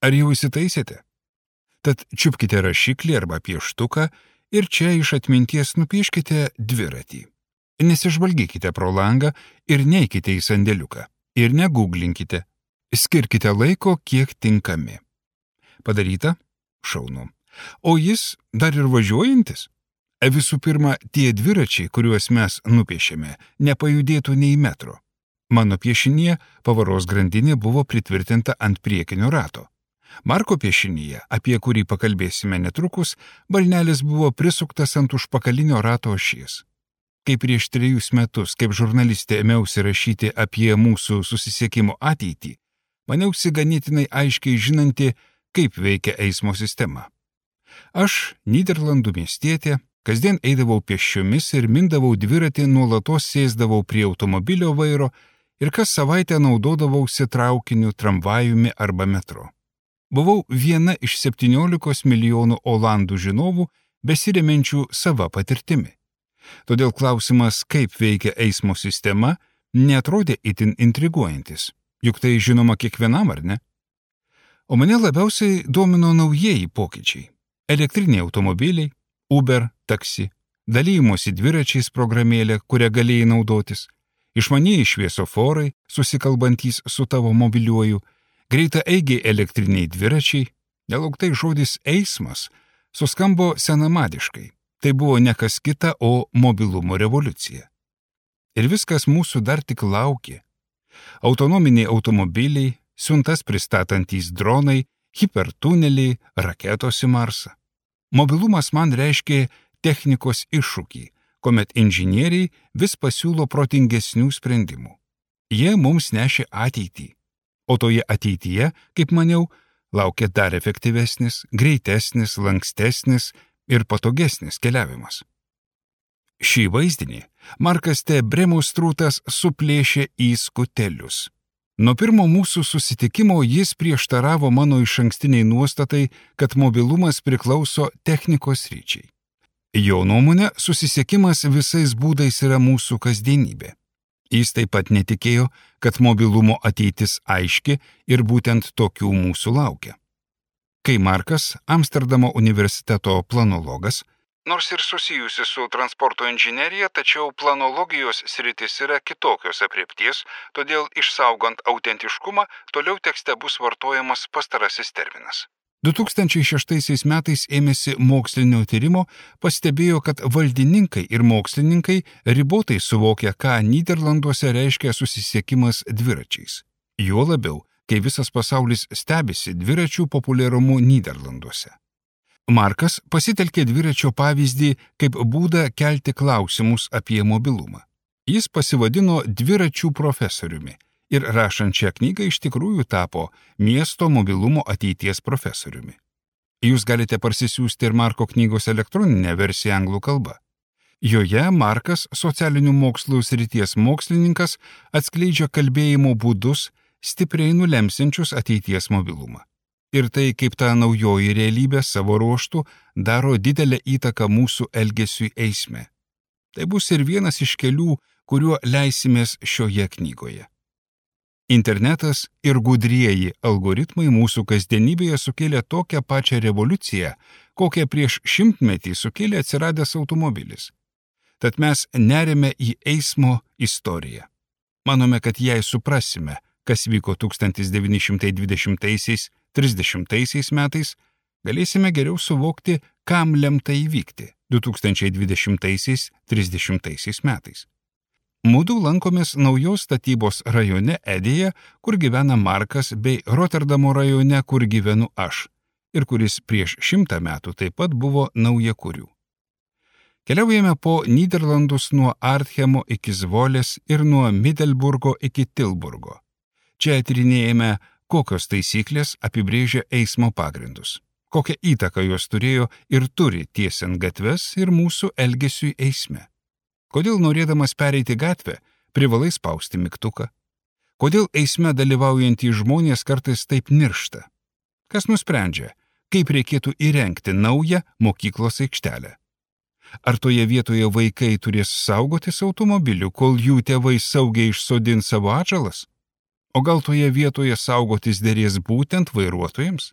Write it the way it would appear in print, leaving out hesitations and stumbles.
Ar jau įsitaisėte? Tad čiupkite rašiklį arba pieštuką ir čia iš atminties nupieškite dviratį. Nesižvalgykite pro langą ir neikite į sandėliuką. Ir negūglinkite. Skirkite laiko, kiek tinkami. Padaryta? Šaunu. O jis dar ir važiuojantis? Visų pirma, tie dviračiai, kuriuos mes nupiešėme, nepajudėtų nei metro. Mano piešinyje pavaros grandinė buvo pritvirtinta ant priekinio rato. Marko piešinyje, apie kurį pakalbėsime netrukus, balnelis buvo prisuktas ant užpakalinio rato ašies. Kai prieš 3 metus, kaip žurnalistė, ėmiausi rašyti apie mūsų susisiekimo ateitį, maniausi ganėtinai aiškiai žinanti, kaip veikia eismo sistema. Aš, Nyderlandų miestietė, kasdien eidavau pėsčiomis ir mindavau dviratį, nuolatos sėsdavau prie automobilio vairo ir kas savaitę naudodavausi traukiniu, tramvajumi arba metro. Buvau viena iš 17 milijonų olandų žinovų, besiremiančių sava patirtimi. Todėl klausimas, kaip veikia eismo sistema, neatrodė itin intriguojantis, juk tai žinoma kiekvienam, ar ne? O mane labiausiai domino naujieji pokyčiai. Elektriniai automobiliai, Uber, taksi, dalymosi dviračiais programėlė, kurią galėjai naudotis, išmanieji šviesoforai, susikalbantys su tavo mobiliuoju, greitaeigiai elektriniai dviračiai, nelauktai žodis eismas suskambo senamadiškai. Tai buvo ne kas kita, o mobilumo revoliucija. Ir viskas mūsų dar tik laukė. Autonominiai automobiliai, siuntas pristatantys dronai, hipertuneliai, raketos į Marsą. Mobilumas man reiškė technikos iššūkį, kuomet inžinieriai vis pasiūlo protingesnių sprendimų. Jie mums nešė ateitį. O toje ateityje, kaip maniau, laukia dar efektyvesnis, greitesnis, lankstesnis ir patogesnis keliavimas. Šį vaizdinį Markas T. Bremustrūtas suplėšė į skutelius. Nuo pirmo mūsų susitikimo jis prieštaravo mano išankstiniai nuostatai, kad mobilumas priklauso technikos sričiai. Jo nuomone, susisiekimas visais būdais yra mūsų kasdienybė. Jis taip pat netikėjo, kad mobilumo ateitis aiški ir būtent tokių mūsų laukia. Kai Markas, Amsterdamo universiteto planologas, nors ir susijusi su transporto inžinerija, tačiau planologijos sritis yra kitokios aprėpties, todėl išsaugant autentiškumą, toliau tekste bus vartojamas pastarasis terminas. 2006 metais ėmėsi mokslinio tyrimo, pastebėjo, kad valdininkai ir mokslininkai ribotai suvokia, ką Nyderlanduose reiškia susisiekimas dviračiais. Juo labiau, kai visas pasaulis stebisi dviračių populiarumu Nyderlanduose. Markas pasitelkė dviračio pavyzdį kaip būdą kelti klausimus apie mobilumą. Jis pasivadino dviračių profesoriumi ir rašant šią knygą iš tikrųjų tapo miesto mobilumo ateities profesoriumi. Jūs galite parsisiųsti ir Marko knygos elektroninę versiją anglų kalba. Joje Markas, socialinių mokslų srities mokslininkas, atskleidžia kalbėjimo būdus, stipriai nulemsiančius ateities mobilumą. Ir tai, kaip ta naujoji realybė savo ruožtų daro didelę įtaką mūsų elgesiui eisme. Tai bus ir vienas iš kelių, kuriuo leisimės šioje knygoje. Internetas ir gudrieji algoritmai mūsų kasdienybėje sukėlė tokią pačią revoliuciją, kokią prieš 100 metį sukėlė atsiradęs automobilis. Tad mes neriame į eismo istoriją. Manome, kad jei suprasime, kas vyko 1920–30 metais, galėsime geriau suvokti, kam lemta įvykti 2020–30 metais. Mudu lankomės naujos statybos rajone Edėje, kur gyvena Markas, bei Rotterdamo rajone, kur gyvenu aš, ir kuris prieš 100 metų taip pat buvo naujakurių. Keliaujame po Nyderlandus nuo Arthemo iki Zvolės ir nuo Middelburgo iki Tilburgo. Čia tyrinėjame, kokios taisyklės apibrėžia eismo pagrindus, kokią įtaką jos turėjo ir turi tiesiant gatves ir mūsų elgesiui eisme. Kodėl norėdamas pereiti gatvę, privalai spausti mygtuką? Kodėl eisme dalyvaujantys žmonės kartais taip niršta? Kas nusprendžia, kaip reikėtų įrengti naują mokyklos aikštelę? Ar toje vietoje vaikai turės saugotis automobilių, kol jų tėvai saugiai išsodins savo atžalas? O gal toje vietoje saugotis dėrės būtent vairuotojams?